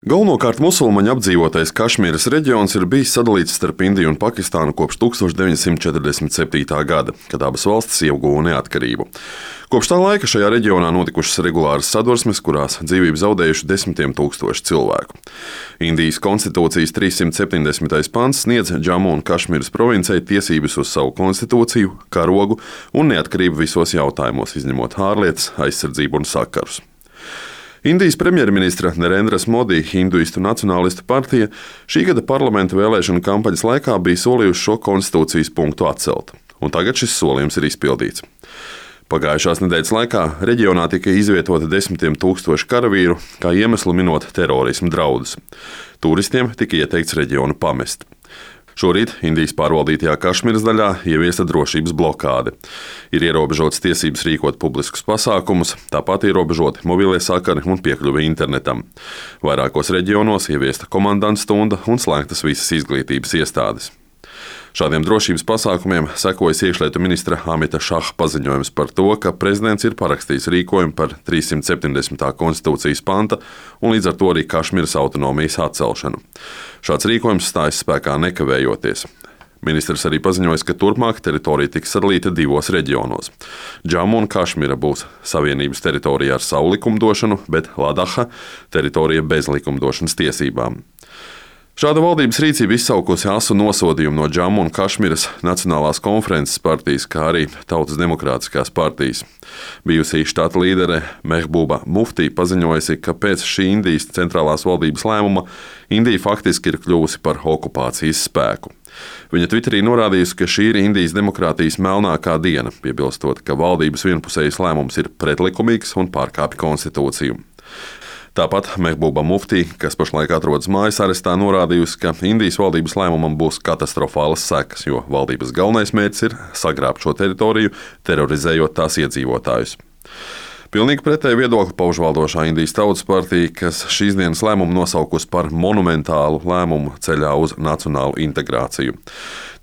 Galvenokārt musulmaņu apdzīvotais Kašmīras reģions ir bijis sadalīts starp Indiju un Pakistānu kopš 1947. gada, kad abas valstis ieguva neatkarību. Kopš tā laika šajā reģionā notikušas regulāras sadursmes, kurās dzīvību zaudējuši desmitiem tūkstoši cilvēku. Indijas konstitūcijas 370. pants sniedz Džamu un Kašmīras provincei tiesības uz savu konstitūciju, karogu un neatkarību visos jautājumos, izņemot ārlietas, aizsardzību un sakarus. Indijas premjerministra Narendras Modi hinduistu nacionālistu partija šī gada parlamenta vēlēšanu kampaņas laikā bija solījusi šo konstitūcijas punktu atcelt, un tagad šis solījums ir izpildīts. Pagājušās nedēļas laikā reģionā tika izvietoti desmitiem tūkstoši karavīru, kā iemeslu minot terorismu draudus. Turistiem tika ieteikts reģionu pamest. Šorīt Indijas pārvaldītajā Kašmīras daļā ieviesta drošības blokāde. Ir ierobežotas tiesības rīkot publiskus pasākumus, tāpat ierobežoti mobilie sakari un piekļuve internetam. Vairākos reģionos ieviesta komandanta stunda un slēgtas visas izglītības iestādes. Šādiem drošības pasākumiem sekojas iekšlietu ministra Amita Šaha paziņojums par to, ka prezidents ir parakstījis rīkojumu par 370. konstitūcijas panta un līdz ar to arī Kašmīras autonomijas atcelšanu. Šāds rīkojums stājas spēkā nekavējoties. Ministrs arī paziņoja, ka turpmāk teritorija tiks sadalīta divos reģionos. Džamu un Kašmīra būs savienības teritorija ar savu likumdošanu, bet Ladaha teritorija bez likumdošanas tiesībām. Šāda valdības rīcība izsaukusi asu nosodījumu no Džamu un Kašmīras Nacionālās konferences partijas, kā arī Tautas demokrātiskās partijas. Bijusī štata līdere Mehbuba Muftī paziņojusi, ka pēc šī Indijas centrālās valdības lēmuma Indija faktiski ir kļuvusi par okupācijas spēku. Viņa Twitterī norādījusi, ka šī ir Indijas demokrātijas melnākā diena, piebilstot, ka valdības vienpusējs lēmums ir pretlikumīgs un pārkāpj konstitūciju. Tāpat Mehbuba Muftī, kas pašlaik atrodas mājas arestā, norādījusi, ka Indijas valdības lēmumam būs katastrofālas sekas, jo valdības galvenais mērķis ir sagrābt šo teritoriju, terorizējot tās iedzīvotājus. Pilnīgi pretēju viedokli pauž valdošā Indijas Tautas partija, kas šīs dienas lēmumu nosaukusi par monumentālu lēmumu ceļā uz nacionālu integrāciju.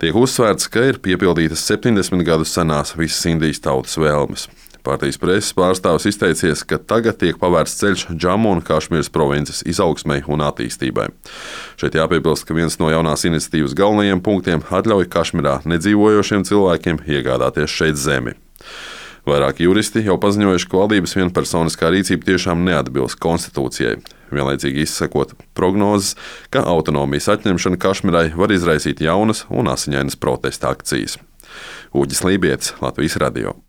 Tiek uzsvērts, ka ir piepildītas 70 gadus senās visas Indijas tautas vēlmes. Partijas preses pārstāvis izteicies, ka tagad tiek pavērsts ceļš Džamu un Kašmīras provinces izaugsmei un attīstībai. Šeit jāpiebilst, ka viens no jaunās iniciatīvas galvenajiem punktiem atļauj Kašmīrā nedzīvojošiem cilvēkiem iegādāties šeit zemi. Vairāki juristi jau paziņojuši, ka valdības vienpersoniskā rīcība tiešām neatbilst konstitūcijai, vienlaicīgi izsakot prognozes, ka autonomijas atņemšana Kašmīrai var izraisīt jaunas un asiņainas protesta akcijas. Uģis Lībietis, Latvijas radio.